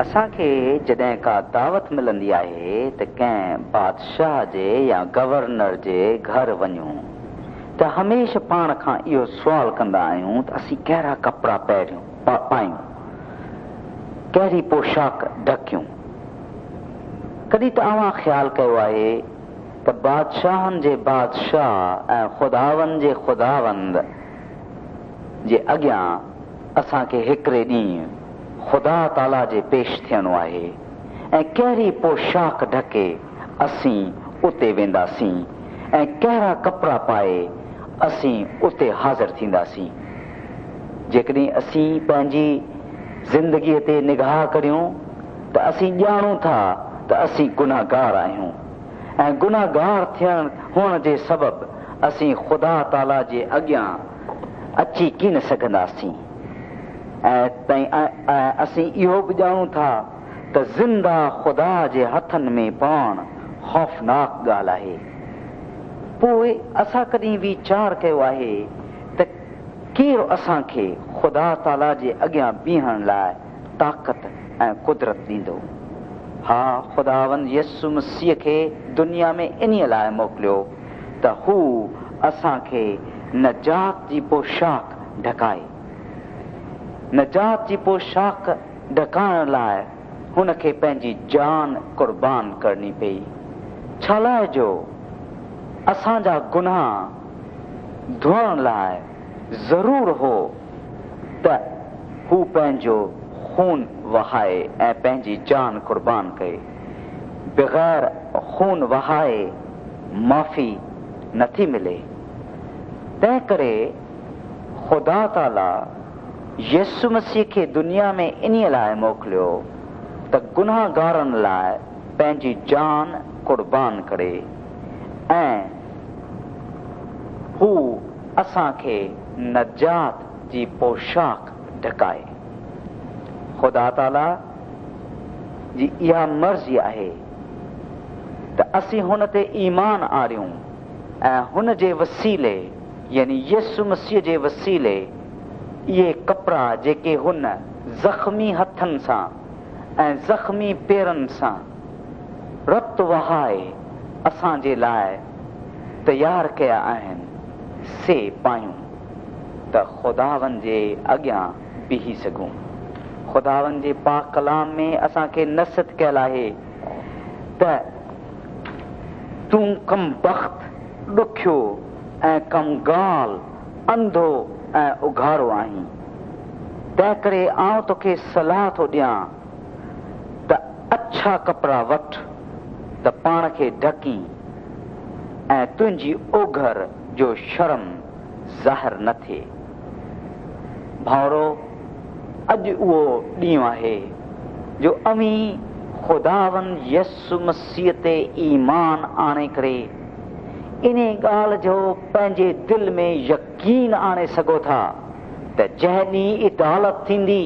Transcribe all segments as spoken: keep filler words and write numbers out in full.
اسان کي جڏهن ڪا دعوت ملندي آهي ته ڪنهن بادشاهه جي يا گورنر جي گهر وڃون ته هميشه پاڻ کان اهو سوال ڪندا آهيون ته اسين ڪهڙا ڪپڙا پهريون پايون، ڪهڙي پوشاڪ ڍڪيون. ڪڏهن ته اوهان خيال ڪيو آهي ته بادشاهن جي بادشاهه ۽ خداوند جي خداوند جي اڳيان اسان کي هڪڙي ڏينهن خدا تعاليٰ جي پيش ٿيڻو آهي ۽ ڪهڙي پوشاڪ ڍڪي اسين اتي وينداسين ۽ ڪهڙا ڪپڙا پائي اسين اتي حاضر ٿينداسين. جيڪڏهن اسين پنهنجي زندگيءَ تي نگاهه ڪريون ته اسين ڄاڻون ٿا ته اسين گناهگار آهيون ۽ گناهگار ٿيڻ هئڻ جي سبب اسين خدا تعاليٰ جي اڳيان اچي ڪين سگهنداسين. ۽ اسين اهو به ڄاڻون ٿا ته زنده خدا جي هٿن ۾ پوڻ خوفناڪ ڳالهه آهي. پوءِ اسان ڪڏهن ويچار ڪيو آهي ته ڪير اسان کي خدا تعاليٰ جي اڳيان بيهڻ لاءِ طاقت ۽ قدرت ڏيندو؟ ها، خداوند يسوع مسيح کي دنيا ۾ انهيءَ لاءِ موڪليو ته هو اسان کي نجات جي پوشاڪ ڍڪائي. نجات جي پوشاڪ ڍڪائڻ لاءِ هن کي پنهنجي جان قربان ڪرڻي پئي. ڇا لاءِ جو اسان جا گناهه ڌوئڻ لاءِ ضرور هو ته هو پنهنجو خون وهائي ۽ پنهنجي جان قربان ڪئي. بغير خون وهائي معافي نٿي ملي. تنهن ڪري خدا تعاليٰ يسوع مسيح کي دنيا ۾ انهيءَ لاءِ موڪليو ته گناهگارن لاءِ پنهنجي جان قربان ڪري ۽ هو اسان کي نجات جي پوشاڪ ڍڪائي. خدا تعاليٰ جي اها مرضي آهي ته اسين هن تي ايمان آڻيون ۽ هن جي وسيلي يعني يسوع مسيح جي وسيلي اهي ڪپڙا جيڪي هن زخمي هٿن سان ۽ زخمي پيرن سان رت وهائي اسان جي لاءِ تيار ڪيا آهن سي پايون ته خداوند جي اڳيان بيهي سگهون. خداوند جي پاڪ ڪلام ۾ اسان کي نصيحت ڪيل آهي ته تون ڪمبخت، ڏکيو ۽ ڪنگال، انڌو ۽ اگهاڙو آهين. تنهن ڪري آئون توکي صلاح ٿو ڏيان ته اڇا ڪپڙا وٺ ته پاڻ کي ڍڪين ۽ تنهنجي اوگهر جو شرم ظاهر نه ٿئي. ڀائرو، اڄ اهو ڏينهن آهي جو اوهين خداوند يسوع مسيح تي ايمان آڻي ڪري ان ڳالهه جو پنهنجي دل ۾ يقين آڻي سگهو ٿا ته جنهن ڏينهن عدالت ٿيندي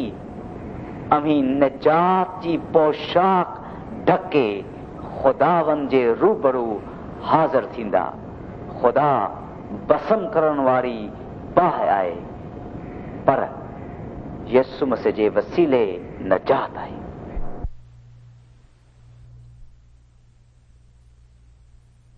اوهين نجات جي پوشاڪ ڍڪي خداوند جي روبرو حاضر ٿيندا. خدا ڀسم ڪرڻ واري باهه آهي، پر يسوع مسيح جي وسيلي نجات آهي.